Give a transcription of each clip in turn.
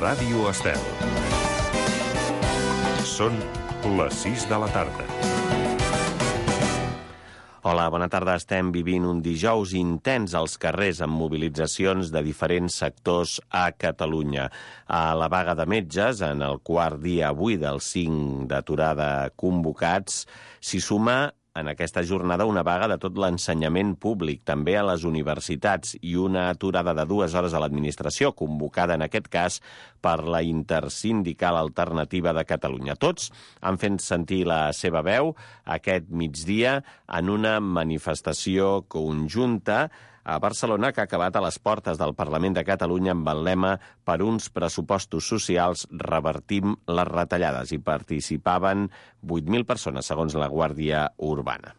Ràdio Estel. Són les 6 de la tarda. Hola, bona tarda. Estem vivint un dijous intens als carrers amb mobilitzacions de diferents sectors a Catalunya. A la vaga de metges, en el quart dia avui dels 5 d'aturada convocats, s'hi suma en aquesta jornada una vaga de tot l'ensenyament públic, també a les universitats, i una aturada de 2 hores a l'administració, convocada en aquest cas per la Intersindical Alternativa de Catalunya. Tots han fet sentir la seva veu aquest migdia en una manifestació conjunta a Barcelona, que ha acabat a les portes del Parlament de Catalunya amb el lema "Per uns pressupostos socials revertim les retallades". Hi participaven 8.000 persones, segons la Guàrdia Urbana.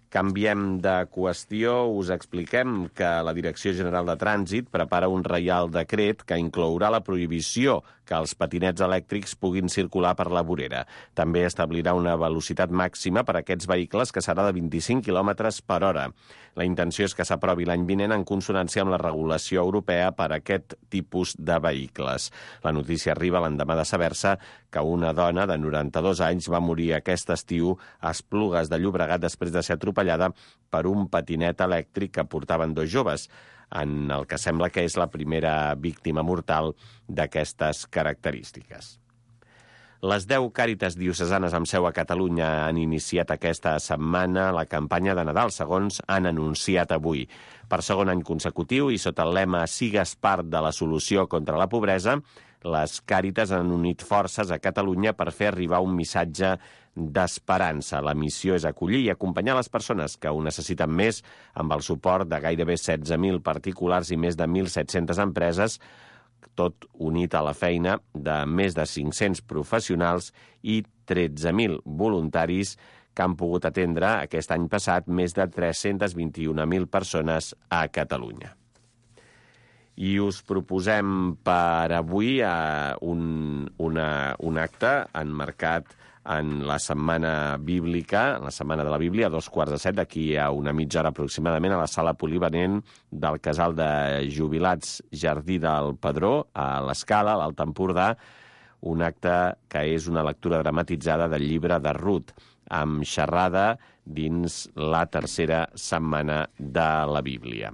Canviem de qüestió. Us expliquem que la Direcció General de Trànsit prepara un reial decret que inclourà la prohibició que els patinets elèctrics puguin circular per la vorera. També establirà una velocitat màxima per a aquests vehicles que serà de 25 km per hora. La intenció és que s'aprovi l'any vinent en consonància amb la regulació europea per a aquest tipus de vehicles. La notícia arriba l'endemà de saber-se que una dona de 92 anys va morir aquest estiu a Esplugues de Llobregat després de ser atropellada per un patinet elèctric que portaven 2 joves, en el que sembla que és la primera víctima mortal d'aquestes característiques. Les 10 càritas diocesanes amb seu a Catalunya han iniciat aquesta setmana la campanya de Nadal, segons han anunciat avui. Per segon any consecutiu i sota el lema "Sigues part de la solució contra la pobresa", les càritas han unit forces a Catalunya per fer arribar un missatge d'esperança. La missió és acollir i acompanyar les persones que ho necessiten més, amb el suport de gairebé 16.000 particulars i més de 1.700 empreses, tot unit a la feina de més de 500 professionals i 13.000 voluntaris que han pogut atendre aquest any passat més de 321.000 persones a Catalunya. I us proposem per avui un acte enmarcat en la Setmana Bíblica, en la Setmana de la Bíblia, a 7:15, d'aquí a una mitja hora aproximadament, a la sala polivalent del Casal de Jubilats Jardí del Pedró, a l'Escala, a l'Alt Empordà, un acte que és una lectura dramatitzada del llibre de Rut, amb xerrada dins la tercera setmana de la Bíblia.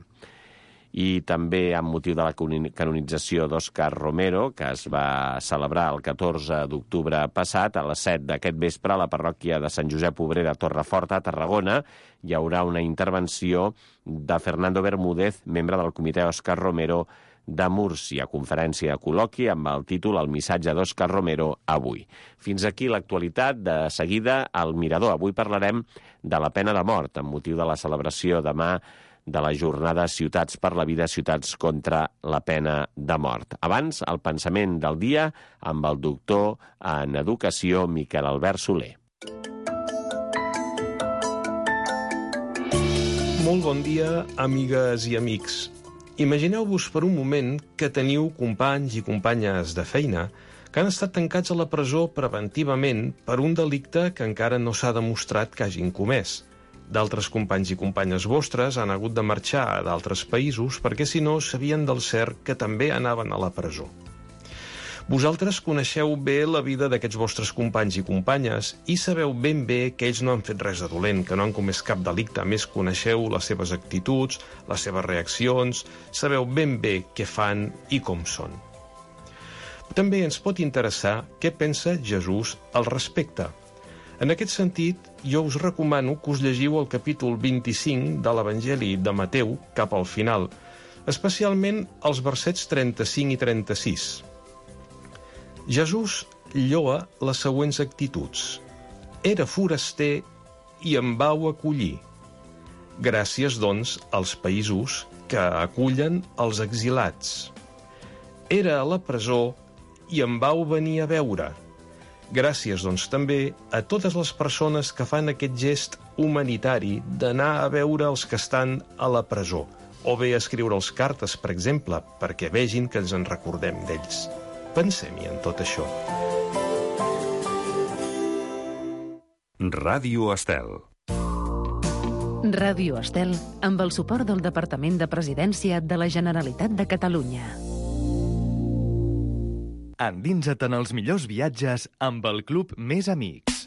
I també amb motiu de la canonització d'Òscar Romero, que es va celebrar el 14 d'octubre passat, a les 7 d'aquest vespre, a la parròquia de Sant Josep Obrera, Torreforta, a Tarragona, hi haurà una intervenció de Fernando Bermúdez, membre del comitè Òscar Romero de Múrcia, conferència de col·loqui amb el títol "El missatge d'Òscar Romero avui". Fins aquí l'actualitat. De seguida, al Mirador. Avui parlarem de la pena de mort, amb motiu de la celebració demà de la jornada Ciutats per la Vida, Ciutats contra la pena de mort. Abans, el pensament del dia amb el doctor en Educació, Miquel Albert Soler. Molt bon dia, amigues i amics. Imagineu-vos per un moment que teniu companys i companyes de feina que han estat tancats a la presó preventivament per un delicte que encara no s'ha demostrat que hagin comès. D'altres companys i companyes vostres han hagut de marxar a d'altres països perquè si no sabien del cert que també anaven a la presó. Vosaltres coneixeu bé la vida d'aquests vostres companys i companyes i sabeu ben bé que ells no han fet res de dolent, que no han comès cap delicte, a més coneixeu les seves actituds, les seves reaccions, sabeu ben bé què fan i com són. També ens pot interessar què pensa Jesús al respecte. En aquest sentit, jo us recomano que us llegiu el capítol 25 de l'Evangeli de Mateu cap al final, especialment els versets 35 i 36. Jesús lloa les següents actituds. Era foraster i em vau acollir. Gràcies, doncs, als països que acullen els exilats. Era a la presó i em vau venir a veure. Gràcies, doncs, també a totes les persones que fan aquest gest humanitari d'anar a veure els que estan a la presó, o bé escriure'ls cartes, per exemple, perquè vegin que ens en recordem d'ells. Pensem-hi en tot això. Ràdio Estel. Ràdio Estel, amb el suport del Departament de Presidència de la Generalitat de Catalunya. Endinsa't en els millors viatges amb el Club Més Amics.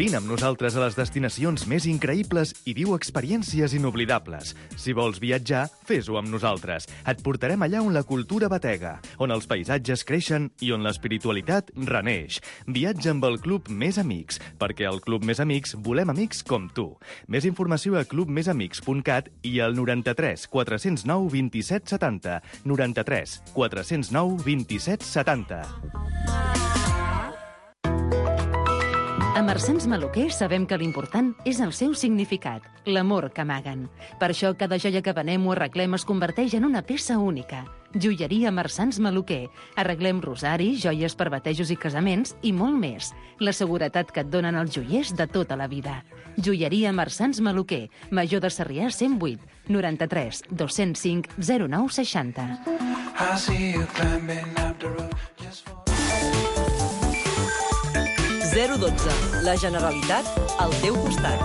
Vine amb nosaltres a les destinacions més increïbles i viu experiències inoblidables. Si vols viatjar, fes-ho amb nosaltres. Et portarem allà on la cultura batega, on els paisatges creixen i on l'espiritualitat reneix. Viatja amb el Club Més Amics, perquè al Club Més Amics volem amics com tu. Més informació a clubmesamics.cat i al 93 409 27 70. 93 409 27 70. A Marsans Maluquer sabem que l'important és el seu significat, l'amor que amaguen. Per això cada joia que venem o arreglem es converteix en una peça única. Joieria Marsans Maluquer. Arreglem rosaris, joies per batejos i casaments i molt més. La seguretat que et donen els joiers de tota la vida. Joieria Marsans Maluquer. Major de Sarrià 108 93 205 09 60. 012. La Generalitat al teu costat.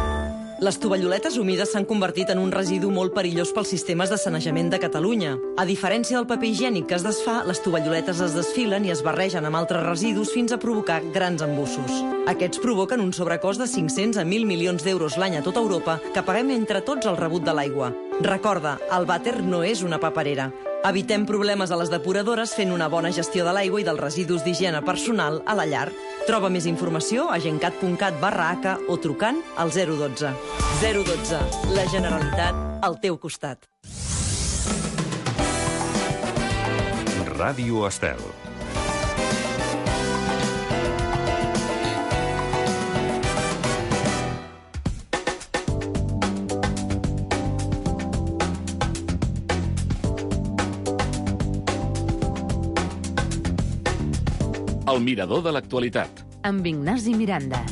Les tovalloletes humides s'han convertit en un residu molt perillós pels sistemes de sanejament de Catalunya. A diferència del paper higiènic que es desfà, les tovalloletes es desfilen i es barregen amb altres residus fins a provocar grans embussos. Aquests provoquen un sobrecost de 500 a 1.000 milions d'euros l'any a tota Europa que paguem entre tots el rebut de l'aigua. Recorda, el vàter no és una paperera. Evitem problemes a les depuradores fent una bona gestió de l'aigua i dels residus d'higiene personal a la llar. Troba més informació a gencat.cat/h o trucant al 012. 012. La Generalitat al teu costat. Ràdio Estel. El mirador de l'actualitat. Amb Ignasi Miranda.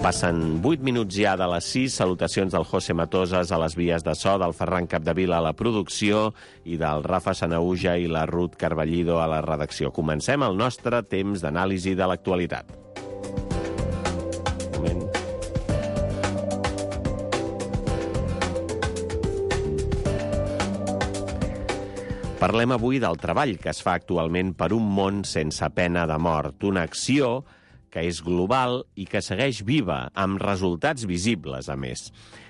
Passen 8 minuts ja de les 6. Salutacions del José Matosas a les vies de so, del Ferran Capdevila a la producció i del Rafa Sanauja i la Ruth Carballido a la redacció. Comencem el nostre temps d'anàlisi de l'actualitat. Un moment. Parlem avui del treball que es fa actualment per un món sense pena de mort, una acció que és global i que segueix viva, amb resultats visibles, a més.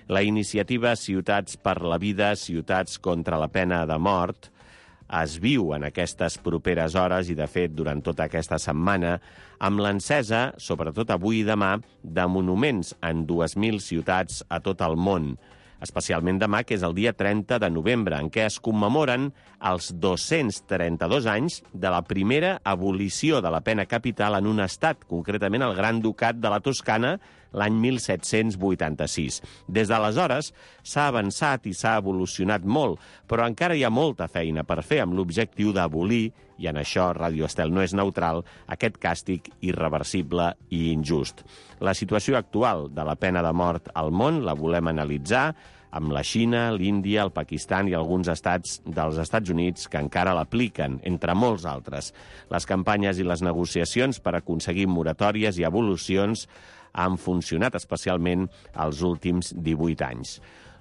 La iniciativa Ciutats per la Vida, Ciutats contra la Pena de Mort, es viu en aquestes properes hores i, de fet, durant tota aquesta setmana, amb l'encesa, sobretot avui i demà, de monuments en 2.000 ciutats a tot el món, especialment demà, que és el dia 30 de novembre, en què es commemoren els 232 anys de la primera abolició de la pena capital en un estat, concretament el Gran Ducat de la Toscana, l'any 1786. Des d'aleshores s'ha avançat i s'ha evolucionat molt, però encara hi ha molta feina per fer amb l'objectiu d'abolir, i en això Ràdio Estel no és neutral, aquest càstig irreversible i injust. La situació actual de la pena de mort al món la volem analitzar amb la Xina, l'Índia, el Pakistan i alguns estats dels Estats Units que encara l'apliquen, entre molts altres. Les campanyes i les negociacions per aconseguir moratòries i evolucions han funcionat especialment els últims 18 anys.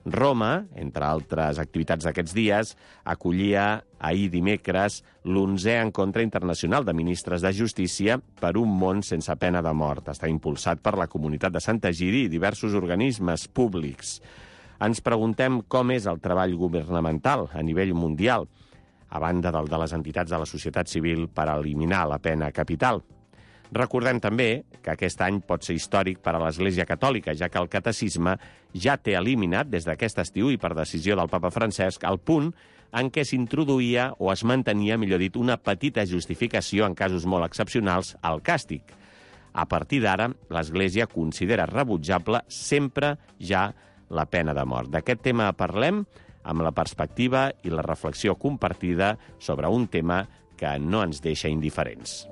Roma, entre altres activitats d'aquests dies, acollia ahir dimecres l'11è encontre internacional de ministres de justícia per un món sense pena de mort. Està impulsat per la comunitat de Sant Egidi i diversos organismes públics. Ens preguntem com és el treball governamental a nivell mundial, a banda del de les entitats de la societat civil per eliminar la pena capital. Recordem també que aquest any pot ser històric per a l'Església Catòlica, ja que el catecisme ja té eliminat des d'aquest estiu i per decisió del papa Francesc el punt en què s'introduïa o es mantenia, millor dit, una petita justificació en casos molt excepcionals al càstig. A partir d'ara, l'Església considera rebutjable sempre ja la pena de mort. D'aquest tema parlem amb la perspectiva i la reflexió compartida sobre un tema que no ens deixa indiferents.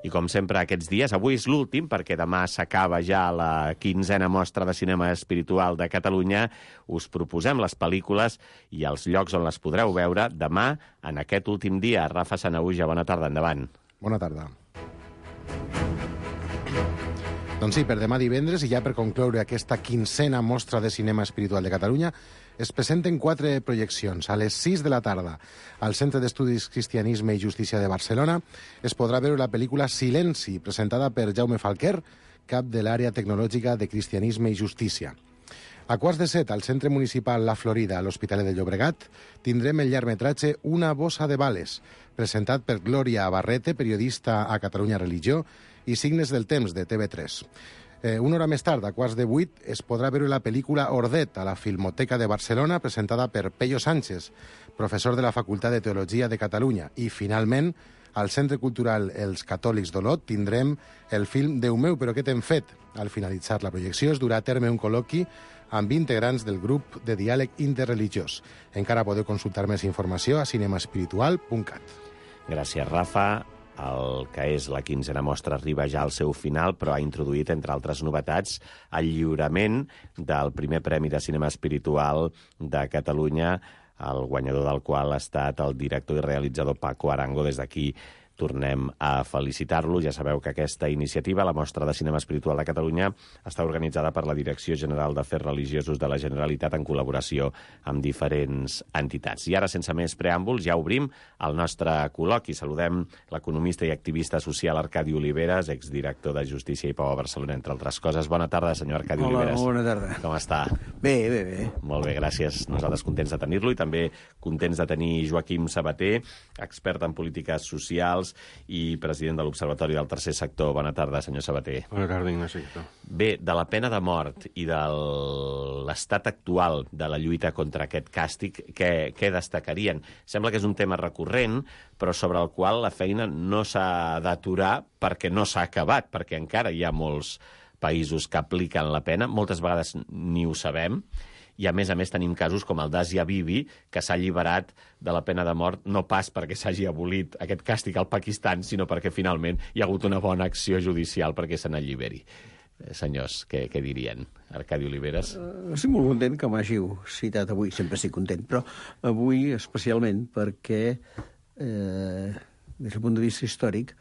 I com sempre aquests dies, avui és l'últim, perquè demà s'acaba ja la 15a Mostra de Cinema Espiritual de Catalunya, us proposem les pel·lícules i els llocs on les podreu veure demà, en aquest últim dia. Rafa Sanahuja, bona tarda, endavant. Bona tarda. Doncs sí, per demà divendres, i ja per concloure aquesta 15a Mostra de Cinema Espiritual de Catalunya, es presenten 4 projeccions. A les 6 de la tarda, al Centre d'Estudis Cristianisme i Justícia de Barcelona, es podrà veure la pel·lícula Silenci, presentada per Jaume Falquer, cap de l'àrea tecnològica de Cristianisme i Justícia. A quarts de 7, al Centre Municipal La Florida, a l'Hospitalet de Llobregat, tindrem el llargmetratge Una bossa de bales, presentat per Glòria Barrete, periodista a Catalunya Religió, i Signes del temps, de TV3. Una hora més tard, a quarts de 8, es podrà veure la pel·lícula Ordet a la Filmoteca de Barcelona, presentada per Pello Sánchez, professor de la Facultat de Teologia de Catalunya. I, finalment, al Centre Cultural Els Catòlics d'Olot tindrem el film Déu meu, però què t'hem fet? Al finalitzar la projecció es durà a terme un col·loqui amb integrants del grup de diàleg interreligiós. Encara podeu consultar més informació a cinemaespiritual.cat. Gràcies, Rafa. El que és la 15a Mostra arriba ja al seu final, però ha introduït, entre altres novetats, el lliurament del primer Premi de Cinema Espiritual de Catalunya, el guanyador del qual ha estat el director i realitzador Paco Arango. Des d'aquí tornem a felicitar-lo. Ja sabeu que aquesta iniciativa, la Mostra de Cinema Espiritual de Catalunya, està organitzada per la Direcció General d'Afers Religiosos de la Generalitat en col·laboració amb diferents entitats. I ara, sense més preàmbuls, ja obrim el nostre col·loqui. Saludem l'economista i activista social Arcadi Oliveres, exdirector de Justícia i Pau a Barcelona, entre altres coses. Bona tarda, senyor Arcadi Oliveres. Hola, bona tarda. Com està? Bé, bé, bé. Molt bé, gràcies. Nosaltres contents de tenir-lo i també contents de tenir Joaquim Sabater, expert en polítiques socials i president de l'Observatori del Tercer Sector. Bona tarda, senyor Sabater. Bona tarda, Ignasi. Bé, de la pena de mort i de l'estat actual de la lluita contra aquest càstig, què destacarien? Sembla que és un tema recurrent, però sobre el qual la feina no s'ha d'aturar perquè no s'ha acabat, perquè encara hi ha molts països que apliquen la pena, moltes vegades ni ho sabem, i a més tenim casos com el d'Asia Bibi, que s'ha alliberat de la pena de mort no pas perquè s'hagi abolit aquest càstig al Pakistan, sinó perquè finalment hi ha hagut una bona acció judicial perquè se n'alliberi. Senyors, què dirien? Arcadi Oliveres? Estic molt content que m'hàgiu citat avui, sempre estic content, però avui especialment perquè, des del punt de vista històric,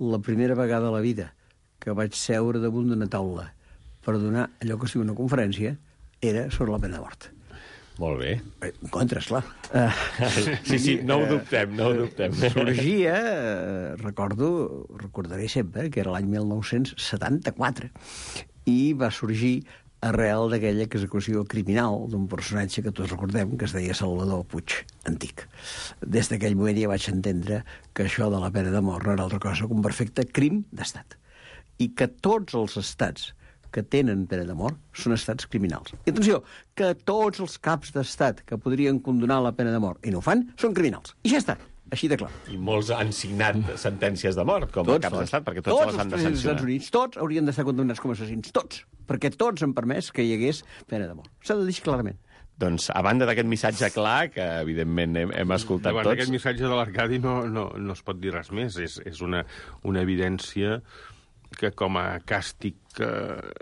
la primera vegada a la vida que vaig seure damunt d'una taula per donar allò que es diu una conferència era sobre la pena de mort. Molt bé. En contra, esclar. Sí, no ho dubtem, no ho dubtem. Sorgia, recordaré sempre, que era l'any 1974, i va sorgir arrel d'aquella execució criminal d'un personatge que tots recordem, que es deia Salvador Puig Antic. Des d'aquell moment ja vaig entendre que això de la pena de mort no era altra cosa que un perfecte crim d'estat. I que tots els estats que tenen pena de mort són estats criminals. I atenció, que tots els caps d'estat que podrien condonar la pena de mort i no ho fan, són criminals. I ja està, així de clar. I molts han signat sentències de mort com a caps d'estat, perquè tots les han de sancionar. Tots els Estats Units, tots haurien d'estar condemnats com a assassins, tots, perquè tots han permès que hi hagués pena de mort. S'ha de dir clarament. Doncs, a banda d'aquest missatge clar, que evidentment hem escoltat tots... Davant d'aquest missatge de l'Arcadi no es pot dir res més. És una evidència que com a càstig,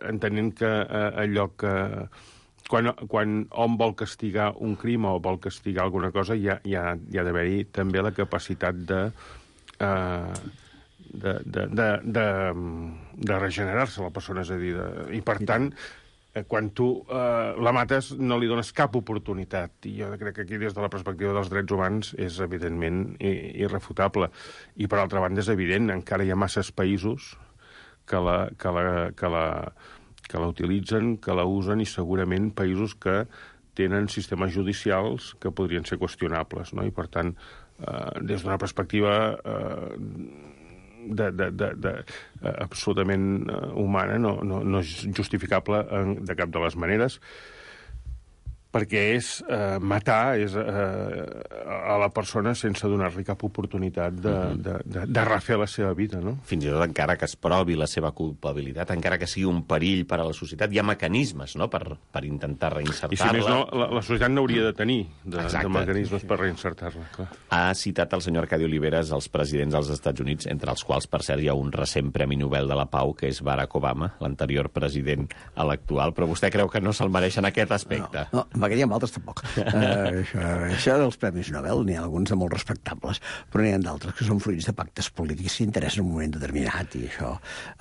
entenent que allò que... Quan hom vol castigar un crim o vol castigar alguna cosa, hi ha d'haver-hi també la capacitat de regenerar-se la persona, és a dir, i per tant, quan tu la mates no li dones cap oportunitat, i jo crec que aquí des de la perspectiva dels drets humans és evidentment irrefutable. I per altra banda és evident, encara hi ha masses països que la utilitzen, que la usen, i segurament països que tenen sistemes judicials que podrien ser qüestionables, no? I per tant, des d'una perspectiva absolutament humana, no és justificable de cap de les maneres, perquè és matar a la persona sense donar-li cap oportunitat de refer la seva vida, no? Fins i tot encara que es provi la seva culpabilitat, encara que sigui un perill per a la societat, hi ha mecanismes, no?, per intentar reinsertar-la. I si més no, la societat n'hauria de tenir de mecanismes per reinsertar-la, clar. Ha citat el senyor Arcadi Oliveres els presidents dels Estats Units, entre els quals, per cert, hi ha un recent Premi Nobel de la Pau, que és Barack Obama, l'anterior president a l'actual, però vostè creu que no se'l mereix en aquest aspecte? No, perquè hi ha altres tampoc. Això dels Premis Nobel, n'hi ha alguns de molt respectables, però n'hi ha d'altres que són fruits de pactes polítics que interessen en un moment determinat, i això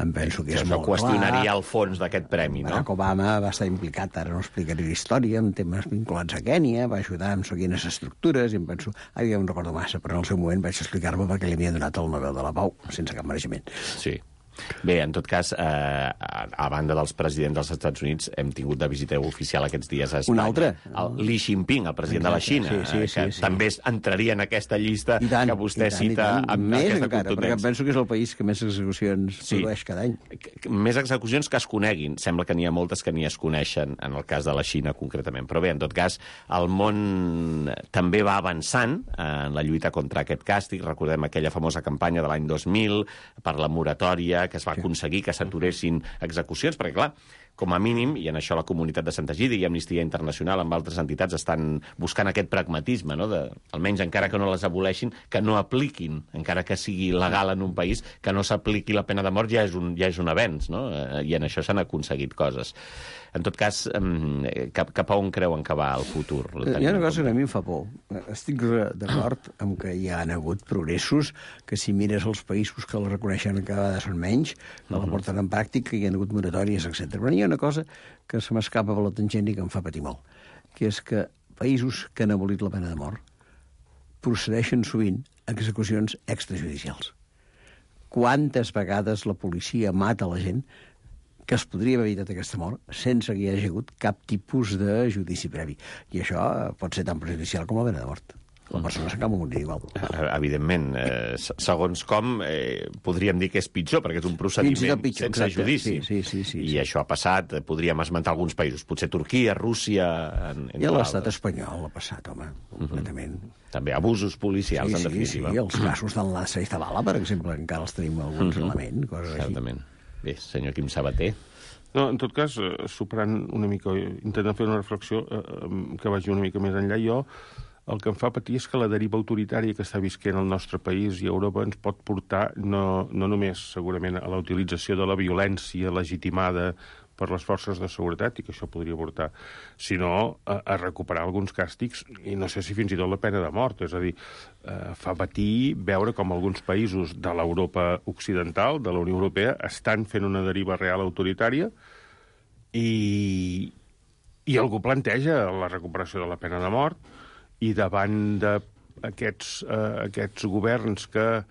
em penso que és molt clar. Això qüestionaria el fons d'aquest premi, no? Barack Obama va estar implicat, ara no explicaré la història, en temes vinculats a Kènia, va ajudar amb quines estructures, i em penso, ara ja no recordo massa, però en el seu moment vaig explicar-me perquè li havia donat el Nobel de la Pau, sense cap mereixement. Sí. Bé, en tot cas, a banda dels presidents dels Estats Units, hem tingut de visita oficial aquests dies a Espanya. Un altre? El Li Jinping, el president de la Xina, que també entraria en aquesta llista que vostè cita amb aquesta contundència. Perquè penso que és el país que més execucions produeix cada any. Més execucions que es coneguin. Sembla que n'hi ha moltes que ni es coneixen, en el cas de la Xina concretament. Però bé, en tot cas, el món també va avançant en la lluita contra aquest càstig. Recordem aquella famosa campanya de l'any 2000 per la moratòria, que es va aconseguir que s'aturessin execucions, perquè, clar, com a mínim, i en això la comunitat de Santa Gida i Amnistia Internacional amb altres entitats estan buscant aquest pragmatisme, no?, almenys encara que no les aboleixin, que no apliquin, encara que sigui legal en un país, que no s'apliqui la pena de mort ja és un avenç, no?, i en això s'han aconseguit coses. En tot cas, cap a on creuen que va el futur? Hi ha una cosa que a mi em fa por. Estic d'acord amb que hi ha hagut progressos, que si mires els països que la reconeixen cada vegada són menys, que la porten en pràctica, hi ha hagut moratòries, etc. Però hi ha una cosa que se m'escapa per la tangent i que em fa patir molt, que és que països que han abolit la pena de mort procedeixen sovint a execucions extrajudicials. Quantes vegades la policia mata la gent que es podria haver evitat aquesta mort sense que hi hagi hagut cap tipus de judici previ. I això pot ser tan prejudicial com la pena de mort. La persona s'acaba morint igual. Evidentment. Segons com, podríem dir que és pitjor, perquè és un procediment sense judici. Sí. I això ha passat, podríem esmentar alguns països, potser Turquia, Rússia... I a l'estat espanyol ha passat, home, completament. També abusos policials, en definitiva. Sí, els casos d'Enlaça i Zavala, per exemple, encara els tenim alguns elements, coses així. Certament. Bé, senyor Quim Sabater. No, en tot cas, superant una mica, intentant fer una reflexió que vagi una mica més enllà, jo el que em fa patir és que la deriva autoritària que està visquent el nostre país i Europa ens pot portar no només, segurament, a la utilització de la violència legitimada per les forces de seguretat, i que això podria portar, sinó a recuperar alguns càstigs, i no sé si fins i tot la pena de mort. És a dir, fa patir veure com alguns països de l'Europa occidental, de la Unió Europea, estan fent una deriva real autoritària i algú planteja la recuperació de la pena de mort, i davant d'aquests governs que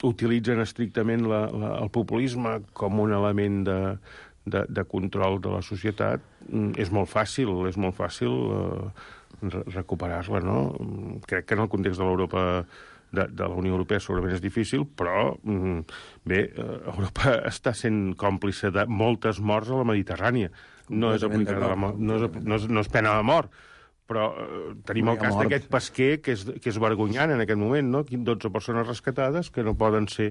utilitzen estrictament el populisme com un element de control de la societat, és molt fàcil recuperar-la, no? Crec que en el context de l'Europa de la Unió Europea segurament és difícil, però bé, Europa està sent còmplice de moltes morts a la Mediterrània. No és aplicada no és pena de mort, però tenim el cas d'aquest pesquer que és vergonyant en aquest moment, no? 12 persones rescatades que no poden ser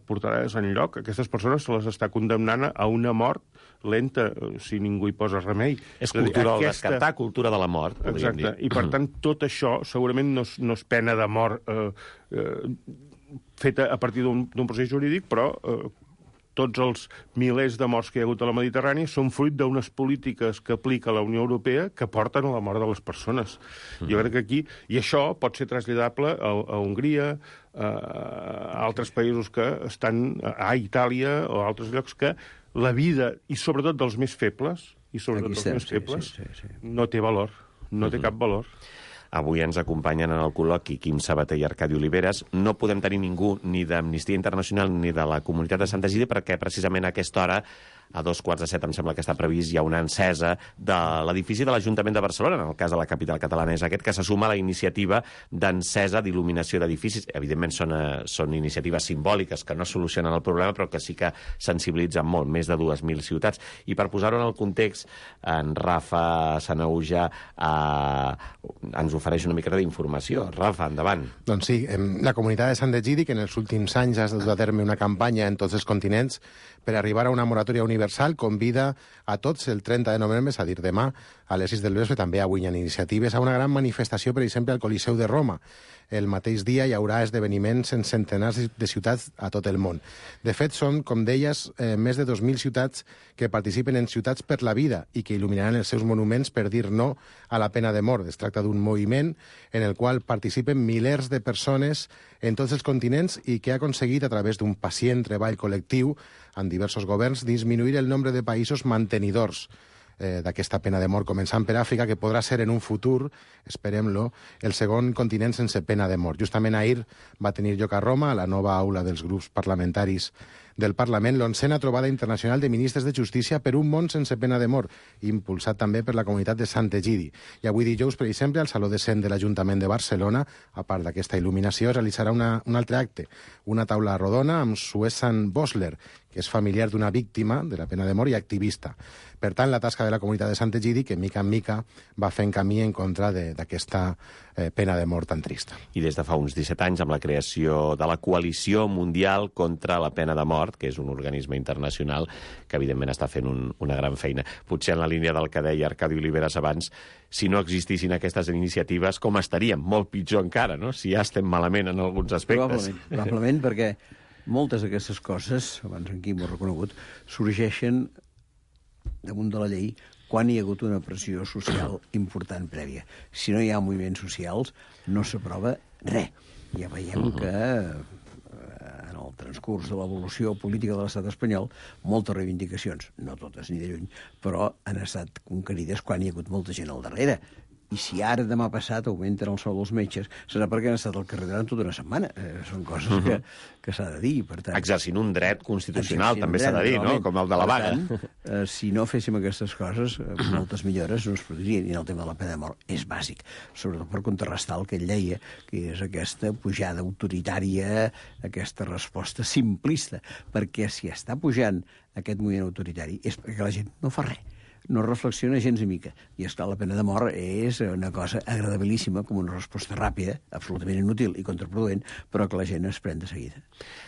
portades enlloc. Aquestes persones se les està condemnant a una mort lenta, si ningú hi posa remei. És cultura del descartar, cultura de la mort, podríem dir. Exacte, i per tant tot això segurament no és pena de mort feta a partir d'un procés jurídic, però tots els milers de morts que hi ha hagut a la Mediterrània són fruit d'unes polítiques que aplica la Unió Europea que porten a la mort de les persones. Jo crec que aquí... I això pot ser traslladable a Hongria, a altres països que estan... a Itàlia o a altres llocs que la vida, i sobretot dels més febles, no té valor, no té cap valor. Avui ens acompanyen en el col·loqui Quim Sabater i Arcadi Oliveres. No podem tenir ningú ni d'Amnistia Internacional ni de la comunitat de Santa Gida perquè precisament a aquesta hora a 2:45, em sembla que està previst, hi ha una encesa de l'edifici de l'Ajuntament de Barcelona, en el cas de la capital catalana és aquest, que se suma a la iniciativa d'encesa d'il·luminació d'edificis. Evidentment són iniciatives simbòliques que no solucionen el problema, però que sí que sensibilitzen molt, més de 2.000 ciutats. I per posar-ho en el context, en Rafa Sanahuja ens ofereix una mica d'informació. Rafa, endavant. Doncs sí, la comunitat de Sant Egidi, que en els últims anys ha dut a terme una campanya en tots els continents per arribar a una moratòria universal, convida a tots el 30 de novembre, és a dir, demà, a les 6 del vespre, també avui hi ha iniciatives, a una gran manifestació, per exemple, al Coliseu de Roma. El mateix dia hi haurà esdeveniments en centenars de ciutats a tot el món. De fet, són, com deies, més de 2.000 ciutats que participen en Ciutats per la Vida i que il·luminaran els seus monuments per dir no a la pena de mort. Es tracta d'un moviment en el qual participen milers de persones en tots els continents i que ha aconseguit, a través d'un pacient treball col·lectiu en diversos governs, disminuir el nombre de països mantenidors d'aquesta pena de mort, començant per Àfrica, que podrà ser en un futur, esperem-lo, el segon continent sense pena de mort. Justament ahir va tenir lloc a Roma, a la nova aula dels grups parlamentaris del Parlament, l'11a trobada internacional de ministres de justícia per un món sense pena de mort, impulsat també per la comunitat de Sant Egidi. I avui dijous, per exemple, al Saló de Cent de l'Ajuntament de Barcelona, a part d'aquesta il·luminació, es realitzarà un altre acte, una taula rodona amb Suesan Bosler, que és familiar d'una víctima de la pena de mort i activista. Per tant, la tasca de la comunitat de Sant Egidi, que mica en mica va fent camí en contra d'aquesta pena de mort tan trista. I des de fa uns 17 anys, amb la creació de la Coalició Mundial contra la Pena de Mort, que és un organisme internacional que, evidentment, està fent una gran feina. Potser en la línia del que deia Arcadi Oliveres abans, si no existissin aquestes iniciatives, com estaríem? Molt pitjor encara, no? Si ja estem malament en alguns aspectes. Probablement, perquè moltes d'aquestes coses, abans en Quim ho ha reconegut, sorgeixen damunt de la llei quan hi ha hagut una pressió social important prèvia. Si no hi ha moviments socials, no s'aprova res. Ja veiem que en el transcurs de l'evolució política de l'estat espanyol, moltes reivindicacions, no totes ni de lluny, però han estat conquerides quan hi ha hagut molta gent al darrere. I si ara, demà passat, augmenten el sou dels metges, serà perquè han estat al carrer durant tota una setmana. Són coses que s'ha de dir. Per tant, exercint un dret constitucional, també s'ha de dir, no? Com el de la vaga. Per tant, si no féssim aquestes coses, moltes millores no es produirien. I el tema de la pena de mort és bàsic, sobretot per contrarrestar el que ell deia, que és aquesta pujada autoritària, aquesta resposta simplista. Perquè si està pujant aquest moviment autoritari és perquè la gent no fa res. No reflexiona gens ni mica. I, esclar, la pena de mort és una cosa agradabilíssima, com una resposta ràpida, absolutament inútil i contraproduent, però que la gent es pren de seguida.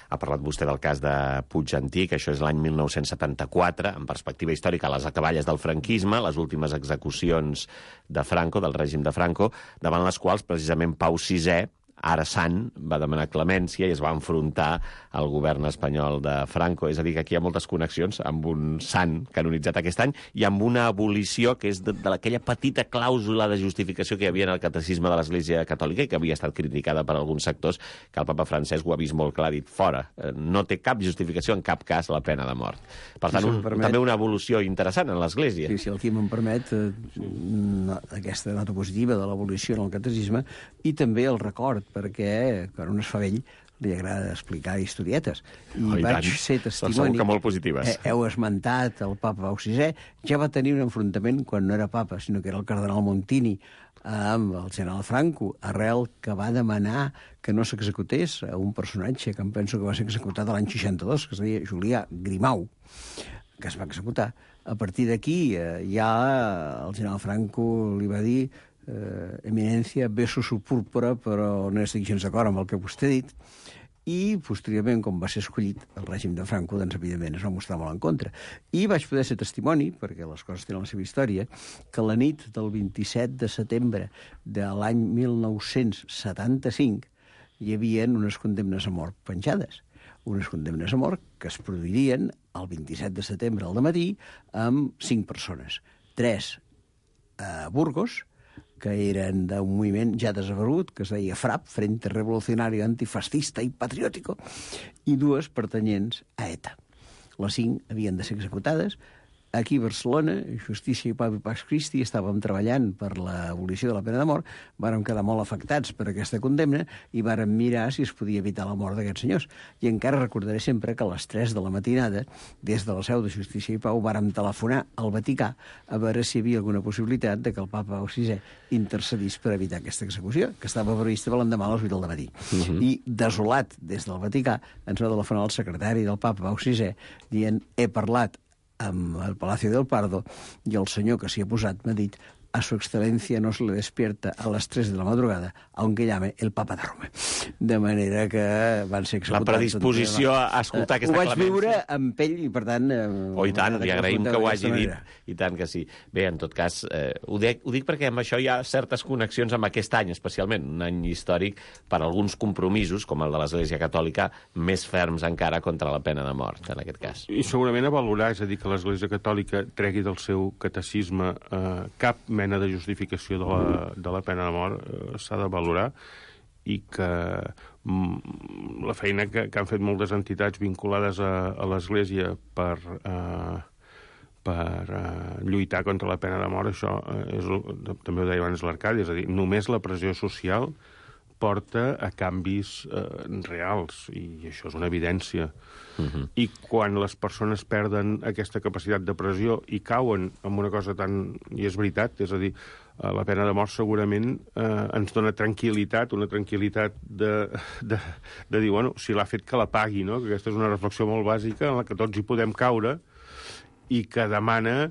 Ha parlat vostè del cas de Puig Antic, això és l'any 1974, en perspectiva històrica, a les acaballes del franquisme, les últimes execucions de Franco, del règim de Franco, davant les quals precisament Pau VI, ara sant, va demanar clemència i es va enfrontar al govern espanyol de Franco. És a dir, que aquí hi ha moltes connexions amb un sant canonitzat aquest any i amb una abolició que és de aquella petita clàusula de justificació que hi havia en el catecisme de l'Església Catòlica i que havia estat criticada per alguns sectors, que el papa Francesc ho ha vist molt clar, ha dit fora. No té cap justificació en cap cas la pena de mort. Per tant, també una evolució interessant en l'Església. Sí, si el Quim em permet, aquesta nota positiva de l'abolició en el catecisme i també el record, perquè quan un es fa vell li agrada explicar historietes. I vaig ser testimoni... Segur que molt positives. Heu esmentat el papa Pau VI, ja va tenir un enfrontament quan no era papa, sinó que era el cardenal Montini amb el general Franco, arrel que va demanar que no s'executés a un personatge que em penso que va ser executat l'any 62, que es deia Julià Grimau, que es va executar. A partir d'aquí ja el general Franco li va dir Eminència, beso su púrpura, però no estic gens d'acord amb el que vostè ha dit. I, posteriorment, com va ser escollit el règim de Franco, doncs, evidentment, es va mostrar molt en contra. I vaig poder ser testimoni, perquè les coses tenen la seva història, que la nit del 27 de setembre de l'any 1975 hi havia unes condemnes a mort penjades. Unes condemnes a mort que es produirien el 27 de setembre al dematí amb 5 persones. 3 a Burgos, que eren d'un moviment ja desaparegut, que es deia FRAP, Frente Revolucionario Antifascista i Patriótico, i 2 pertanyents a ETA. Les 5 havien de ser executades, Aquí a Barcelona, Justícia i Pau i Pax Christi, estàvem treballant per l'abolició de la pena de mort, vàrem quedar molt afectats per aquesta condemna i vàrem mirar si es podia evitar la mort d'aquests senyors. I encara recordaré sempre que a les 3 de la matinada, des de la seu de Justícia i Pau, vàrem telefonar al Vaticà a veure si hi havia alguna possibilitat de que el papa Pau VI intercedís per evitar aquesta execució, que estava prevista per l'endemà a les 8 del matí. I, desolat des del Vaticà, ens va telefonar el secretari del papa Pau VI dient: he parlat amb el Palacio del Pardo i el senyor que s'hi ha posat m'ha dit: a su excelencia no se le despierta a las 3 de la madrugada, aunque llame el Papa de Roma. De manera que van ser executats... La predisposició a escoltar aquesta clemència. Ho vaig viure amb pell i, per tant... I tant, li agraïm que ho hagi dit. I tant que sí. Bé, en tot cas, ho dic perquè amb això hi ha certes connexions amb aquest any, especialment, un any històric per alguns compromisos, com el de l'Església Catòlica, més ferms encara contra la pena de mort, en aquest cas. I segurament a valorar, és a dir, que l'Església Catòlica tregui del seu catecisme cap mena de justificació de la pena de mort s'ha de valorar, i que la feina que han fet moltes entitats vinculades a l'Església per lluitar contra la pena de mort, això també ho deia abans l'Arcadi, és a dir, només la pressió social porta a canvis reals, i això és una evidència. I quan les persones perden aquesta capacitat de pressió i cauen en una cosa tan... I és veritat, és a dir, la pena de mort segurament ens dona tranquil·litat, una tranquil·litat de dir, bueno, si l'ha fet que la pagui, no? Que aquesta és una reflexió molt bàsica en la que tots hi podem caure i que demana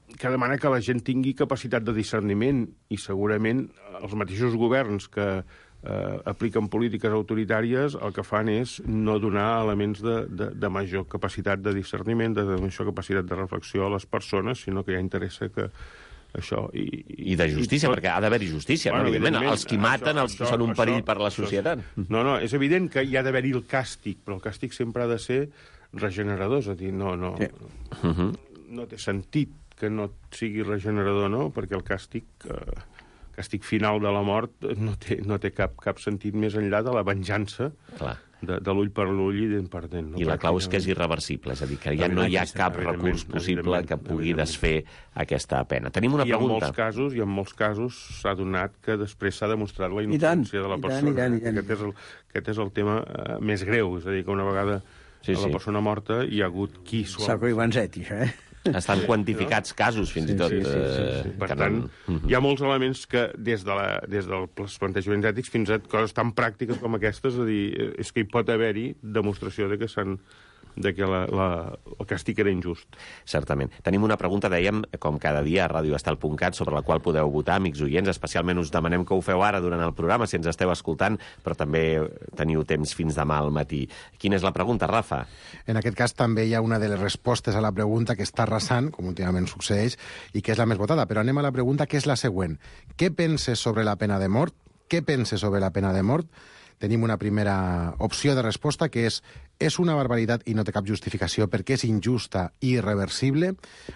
que la gent tingui capacitat de discerniment, i segurament els mateixos governs que apliquen polítiques autoritàries el que fan és no donar elements de major capacitat de discerniment, de major capacitat de reflexió a les persones, sinó que ja interessa que això... I de justícia, perquè ha d'haver-hi justícia, bueno, no? Evidentment, els qui maten, els que són un perill per la societat. No, és evident que hi ha d'haver-hi el càstig, però el càstig sempre ha de ser regenerador, és a dir, no té sentit que no sigui regenerador, no? Perquè el càstig final de la mort no té cap sentit més enllà de la venjança de l'ull per l'ull i dent per dent. I la clau és que és irreversible, és a dir, que ja no hi ha cap recurs possible que pugui desfer aquesta pena. Tenim una pregunta. I en molts casos s'ha donat que després s'ha demostrat la innocència de la persona. Aquest és el tema més greu, és a dir, que una vegada a la persona morta hi ha hagut qui... Sacro i Vanzetti, això, Estan quantificats casos, fins i tot. Sí. Per tant, hi ha molts elements que, des dels plantejaments ètics fins a coses tan pràctiques com aquestes, és a dir, és que hi pot haver-hi demostració de que el càstig era injust. Certament. Tenim una pregunta, dèiem, com cada dia a radioestel.cat, sobre la qual podeu votar, amics oients. Especialment us demanem que ho feu ara durant el programa, si ens esteu escoltant, però també teniu temps fins demà al matí. Quina és la pregunta, Rafa? En aquest cas també hi ha una de les respostes a la pregunta que està arrasant, com últimament succeeix, i que és la més votada. Però anem a la pregunta, que és la següent. Què penses sobre la pena de mort? Què penses sobre la pena de mort? Tenim una primera opció de resposta, que és una barbaritat i no té cap justificació perquè és injusta i irreversible.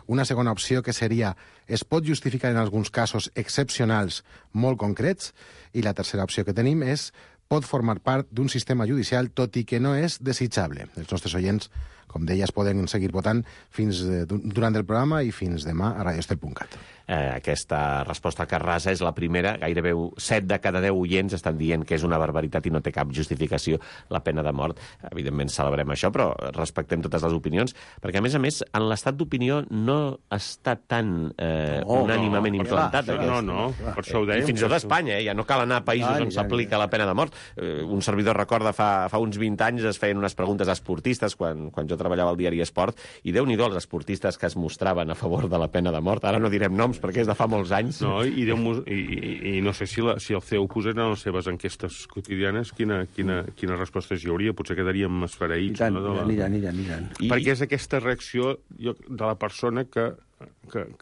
Una segona opció, que seria es pot justificar en alguns casos excepcionals molt concrets. I la tercera opció que tenim és pot formar part d'un sistema judicial, tot i que no és desitjable. Els nostres oients, com deies, poden seguir votant durant el programa i fins demà a radioestel.cat. Aquesta resposta que arrasa és la primera. Gairebé 7 de cada 10 oients estan dient que és una barbaritat i no té cap justificació la pena de mort. Evidentment celebrem això, però respectem totes les opinions, perquè a més, en l'estat d'opinió no està tan unànimament implantat. No, per això ho dèiem. I fins i tot a Espanya, ja no cal anar a països on s'aplica la pena de mort. Un servidor recorda fa uns 20 anys es feien unes preguntes a esportistes quan jo treballava al diari Esport, i Déu-n'hi-do els esportistes que es mostraven a favor de la pena de mort. Ara no direm noms perquè és de fa molts anys. No, i no sé si el CEU posés en les seves enquestes quotidianes quines respostes hi hauria. Potser quedaríem esfereïts. I tant. Perquè és aquesta reacció de la persona que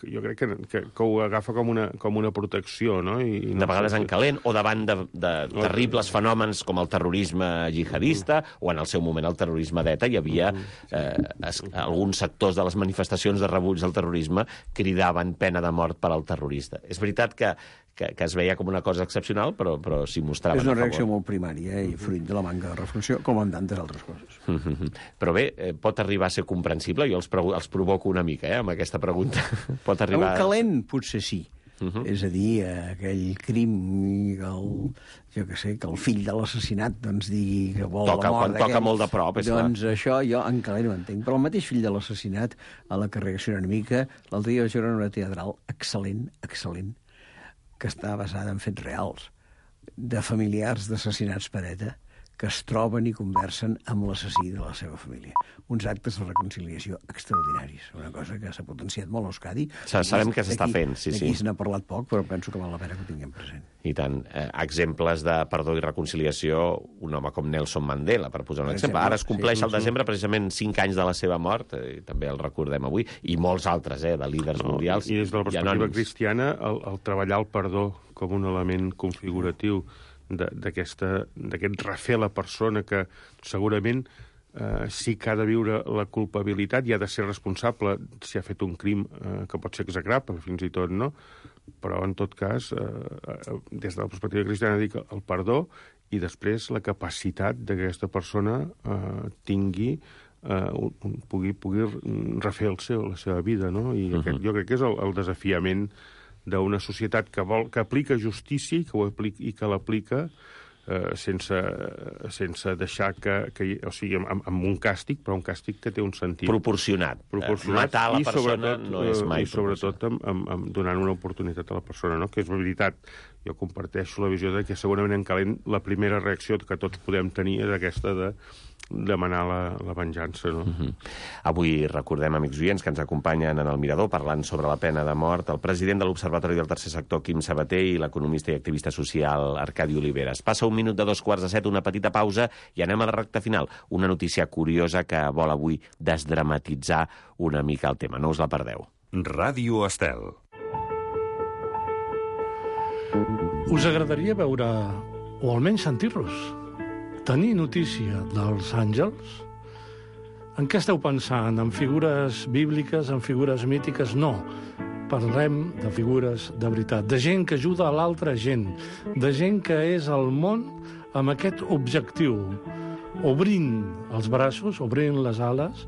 jo crec que ho agafa com una protecció, no? De vegades en calent, o davant de terribles fenòmens com el terrorisme jihadista, o en el seu moment el terrorisme d'ETA, hi havia alguns sectors de les manifestacions de rebuig del terrorisme cridaven pena de mort per al terrorista. És veritat que que es veia com una cosa excepcional, però s'hi mostraven a favor. És una reacció molt primària i fruit de la manca de reflexió, com en tantes altres coses. Però bé, pot arribar a ser comprensible? Jo els provoco una mica, amb aquesta pregunta. Pot arribar... Un calent, potser sí. És a dir, aquell crim que el fill de l'assassinat doncs digui que vol la mort quan toca molt de prop, és clar. Doncs això jo en calent ho entenc. Però el mateix fill de l'assassinat, a la que reacciona una mica, l'altre dia vaig veure una teatral excel·lent, que està basada en fets reals, de familiars d'assassinats per ETA, que es troben i conversen amb l'assassí de la seva família. Uns actes de reconciliació extraordinaris. Una cosa que s'ha potenciat molt a Euskadi. Sabem que s'està fent, sí. Aquí se n'ha parlat poc, però penso que val la pena que ho tinguem present. I tant. Exemples de perdó i reconciliació, un home com Nelson Mandela, per posar un exemple. Ara es compleix al desembre precisament 5 anys de la seva mort, i també el recordem avui, i molts altres, de líders mundials. I des de la perspectiva cristiana, el treballar el perdó com un element configuratiu d'aquest refer a la persona que segurament sí que ha de viure la culpabilitat i ha de ser responsable si ha fet un crim que pot ser execrable, fins i tot, no? Però, en tot cas, des de la perspectiva cristiana, dic el perdó i després la capacitat d'aquesta persona pugui refer la seva vida, no? I jo crec que és el desafiament d'una societat que aplica justícia i que l'aplica sense deixar o sigui, amb un càstig, però un càstig que té un sentit proporcionat. Matar la persona no és mai proporcionat. I sobretot donant una oportunitat a la persona, no? Que és veritat. Jo comparteixo la visió de que segurament en calent la primera reacció que tots podem tenir és aquesta de demanar la venjança, no? Avui recordem, amics oients, que ens acompanyen en el Mirador parlant sobre la pena de mort el president de l'Observatori del Tercer Sector, Quim Sabater, i l'economista i activista social, Arcadi Oliveres. Passa 1 minut de 2:45, una petita pausa, i anem a la recta final. Una notícia curiosa que vol avui desdramatitzar una mica el tema. No us la perdeu. Ràdio Estel. Us agradaria veure, o almenys sentir-los, tenir notícia dels àngels? En què esteu pensant? En figures bíbliques, en figures mítiques? No. Parlem de figures de veritat, de gent que ajuda a l'altra gent, de gent que és al món amb aquest objectiu, obrint els braços, obrint les ales,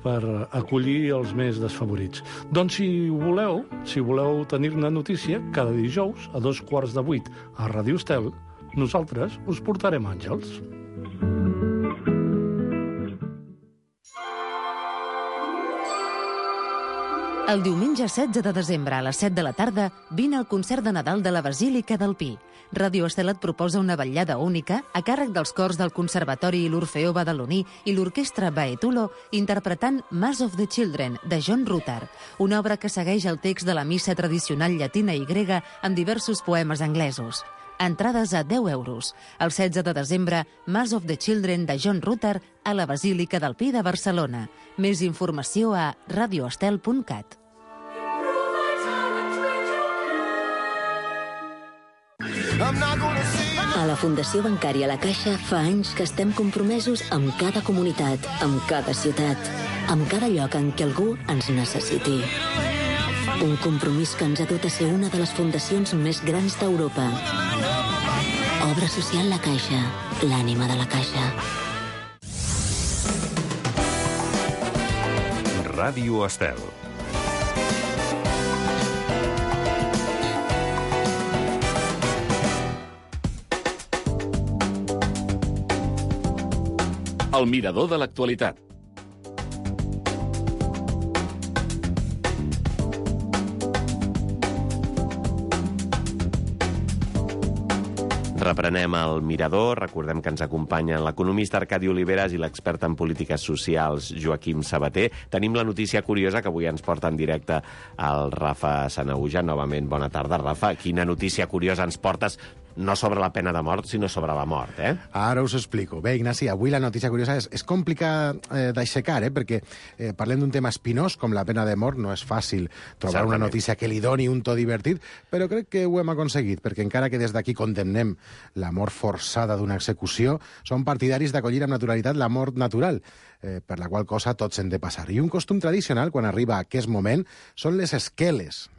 per acollir els més desfavorits. Doncs si voleu tenir-ne notícia, cada dijous a 7:15 a Ràdio Estel, nosaltres us portarem àngels. El diumenge 16 de desembre a les 7 de la tarda vine al concert de Nadal de la Basílica del Pi. Ràdio Estel et proposa una vetllada única a càrrec dels cors del Conservatori i l'Orfeó Badaloní i l'Orquestra Baetulo interpretant Mass of the Children, de John Rutter, una obra que segueix el text de la missa tradicional llatina i grega amb diversos poemes anglesos. Entrades a 10 euros. El 16 de desembre, Mass of the Children de John Rutter a la Basílica del Pi de Barcelona. Més informació a radioestel.cat. A la Fundació Bancària La Caixa fa anys que estem compromesos amb cada comunitat, amb cada ciutat, amb cada lloc en què algú ens necessiti. Un compromís que ens ha dut a ser una de les fundacions més grans d'Europa. Obra social La Caixa, l'ànima de la Caixa. Ràdio Estel. El Mirador de l'actualitat. Reprenem el Mirador. Recordem que ens acompanyen l'economista Arcadi Oliveres i l'expert en polítiques socials Joaquim Sabater. Tenim la notícia curiosa que avui ens porta en directe el Rafa Sanahuja. Novament, bona tarda, Rafa. Quina notícia curiosa ens portes? No sobre la pena de mort, sinó sobre la mort, Ara us explico. Bé, Ignasi, avui la notícia curiosa és complicat d'aixecar, perquè parlem d'un tema espinós, com la pena de mort. No és fàcil trobar una notícia que li doni un to divertit, però crec que ho hem aconseguit, perquè encara que des d'aquí condemnem la mort forçada d'una execució, són partidaris d'acollir amb naturalitat la mort natural, per la qual cosa tots hem de passar. I un costum tradicional, quan arriba a aquest moment, són les esqueles.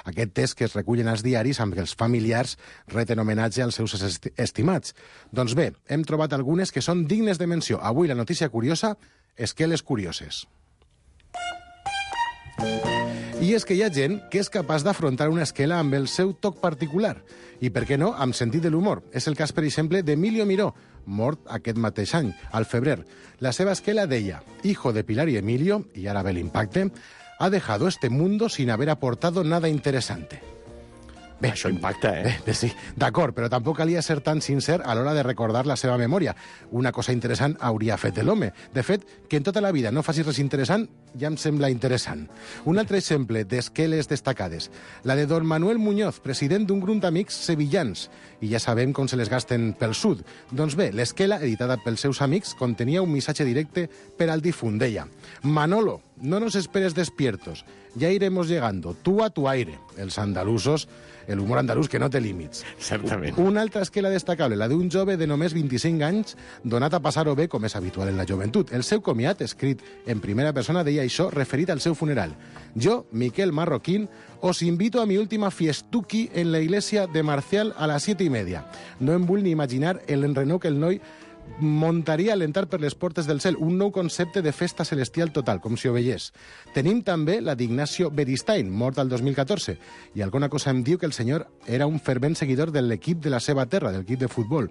Aquest test que es recullen als diaris amb els familiars reten homenatge als seus estimats. Doncs bé, hem trobat algunes que són dignes de menció. Avui la notícia curiosa, esqueles curioses. I és que hi ha gent que és capaç d'afrontar una esquela amb el seu toc particular. I, per què no, amb sentit de l'humor. És el cas, per exemple, d'Emilio Miró, mort aquest mateix any, al febrer. La seva esquela deia: hijo de Pilar y Emilio, y ara ve l'impacte, ha dejado este mundo sin haber aportado nada interesante. Bé, això impacta, Bé, sí, d'acord, però tampoc calia ser tan sincer a l'hora de recordar la seva memòria. Una cosa interessant hauria fet l'home. De fet, que en tota la vida no facis res interessant ja em sembla interessant. Un altre exemple d'esqueles destacades. La de don Manuel Muñoz, president d'un grup d'amics sevillans. I ja sabem com se les gasten pel sud. Doncs bé, l'esquela, editada pels seus amics, contenia un missatge directe per al difunt. Deia: Manolo, no nos esperes despiertos. Ya iremos llegando, tú a tu aire. Els andalusos, el humor andalús que no té límits. Certament. Una altra esquela destacable, la d'un jove de només 25 anys, donat a passar-ho bé, com és habitual en la joventut. El seu comiat, escrit en primera persona, deia això referit al seu funeral. Yo, Miquel Marroquín, os invito a mi última fiestuki en la iglesia de Marcial a las 7:30. No em vull ni imaginar l'enrenou que el noi muntaria a l'entrar per les portes del cel, un nou concepte de festa celestial total, com si ho veiés. Tenim també la d'Ignacio Beristain, mort al 2014, i alguna cosa em diu que el senyor era un fervent seguidor de l'equip de la seva terra, del equip de futbol,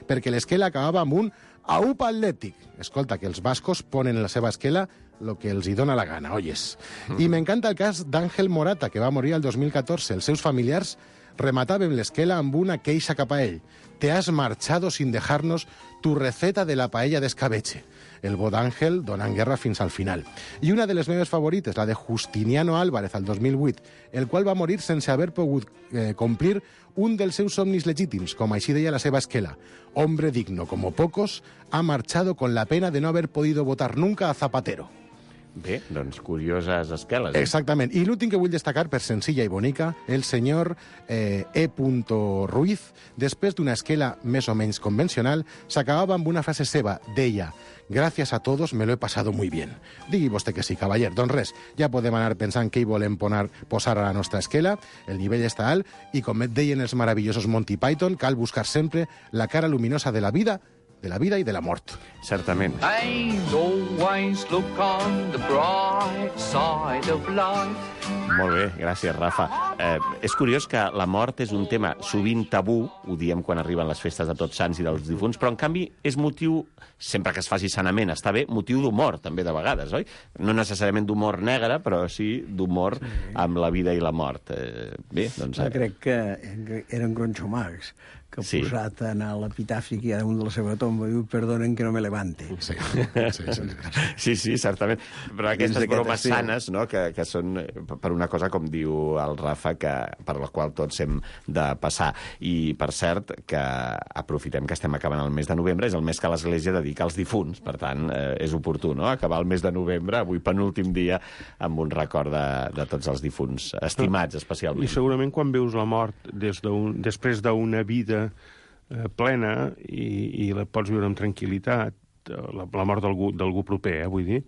perquè l'esquela acabava amb un aupa atlètic. Escolta, que els bascos ponen en la seva esquela lo que els hi dona la gana, oyes. I m'encanta el cas d'Àngel Morata, que va morir el 2014. Els seus familiars remataven l'esquela amb una queixa cap a ell. Te has marchado sin dejarnos tu receta de la paella d'escabeche. El bo d'Àngel donant guerra fins al final. I una de les meves favorites, la de Justiniano Álvarez, al 2008, el qual va morir sense haver pogut complir un dels seus somnis legítims, com així deia la seva esquela. Hombre digno como pocos, ha marchado con la pena de no haber podido votar nunca a Zapatero. Bé, doncs curioses esqueles. Exactament. I l'últim que vull destacar, per senzilla i bonica, el senyor E. Ruiz, després d'una esquela més o menys convencional, s'acabava amb una frase seva. Deia: gracias a todos, me lo he pasado muy bien. Digui vostè que sí, cavaller. Doncs res, ja podem anar pensant què hi volem posar a la nostra esquela. El nivell està alt i, com et deien els meravellosos Monty Python, cal buscar sempre la cara luminosa de la vida i de la mort. Certament. Molt bé, gràcies, Rafa. És curiós que la mort és un tema sovint tabú, ho diem quan arriben les festes de Tots Sants i dels difunts, però en canvi és motiu, sempre que es faci sanament, està bé, motiu d'humor també de vegades, oi? No necessàriament d'humor negre, però sí d'humor amb la vida i la mort. Bé, doncs... Crec que eren Groucho Marx, que ha posat en l'epitafi que hi ha damunt de la seva tomba, diu, perdonen que no me levante. Sí, certament. Però aquestes bromes sanes, no?, que són per una cosa, com diu el Rafa, per la qual tots hem de passar. I, per cert, que aprofitem que estem acabant el mes de novembre, és el mes que l'Església dedica als difunts, per tant, és oportú, no?, acabar el mes de novembre, avui penúltim dia, amb un record de tots els difunts, estimats especialment. I segurament quan veus la mort després d'una vida plena i la pots viure amb tranquil·litat, la mort d'algú proper, vull dir,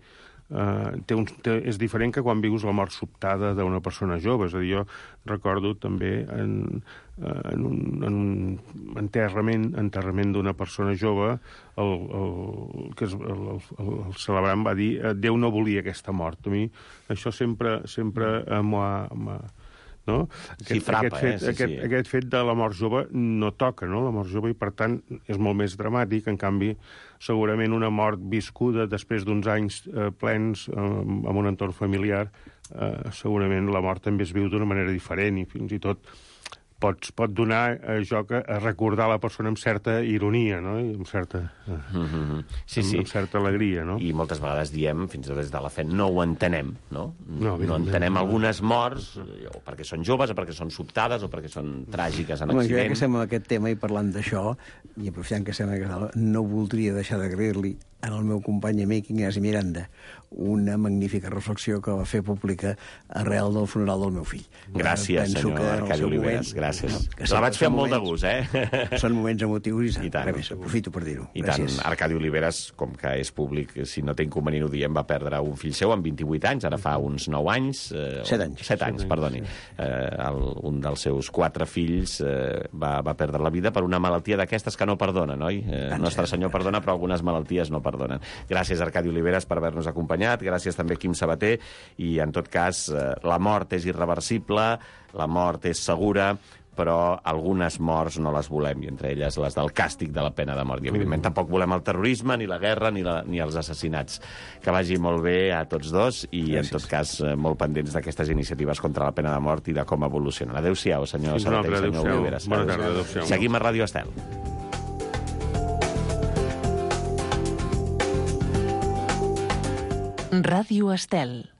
és diferent que quan vius la mort sobtada d'una persona jove. És a dir, jo recordo també en un enterrament d'una persona jove, el celebrant va dir Déu no volia aquesta mort. A mi això sempre m'ho ha... No? Aquest fet de la mort jove no toca, no? La mort jove, i per tant és molt més dramàtic. En canvi, segurament una mort viscuda després d'uns anys plens amb un entorn familiar, segurament la mort també es viu d'una manera diferent i fins i tot pot donar joc a recordar la persona amb certa ironia, no? I amb certa alegria, no? I moltes vegades diem, fins i tot des de la fe, no ho entenem, no? No entenem algunes morts, o perquè són joves, o perquè són sobtades, o perquè són tràgiques en accident. Ja que estem en aquest tema i parlant d'això, i aprofitant que estem en aquesta taula, no voldria deixar d'agrair-li al meu company amic Ignasi Miranda una magnífica reflexió que va fer pública arrel del funeral del meu fill. Gràcies, senyor Arcadi Oliveres. gràcies. Que La vaig fer amb molt de moments- gust, Són moments emotius I i tant. res més, aprofito per dir-ho. I tant, Gràcies. Arcadi Oliveres, com que és públic, si no té inconvenient ho diem, va perdre un fill seu amb 28 anys, ara fa uns 9 anys... 7 anys. 7 anys, perdoni. Un dels seus 4 fills va perdre la vida per una malaltia d'aquestes que no perdonen, oi? Nostre Senyor perdona, però algunes malalties no perdonen. Gràcies, Arcadi Oliveres, per haver-nos acompanyat. Gràcies també, Quim Sabater. I, en tot cas, la mort és irreversible, la mort és segura, però algunes morts no les volem, i entre elles les del càstig de la pena de mort. I, evidentment, tampoc volem el terrorisme, ni la guerra, ni els assassinats. Que vagi molt bé a tots dos i, en tot cas, molt pendents d'aquestes iniciatives contra la pena de mort i de com evolucionen. Adéu-siau, senyor Sabater i senyor Oliveres. Bona tarda, adéu-siau. Seguim a Ràdio Estel. Ràdio Estel.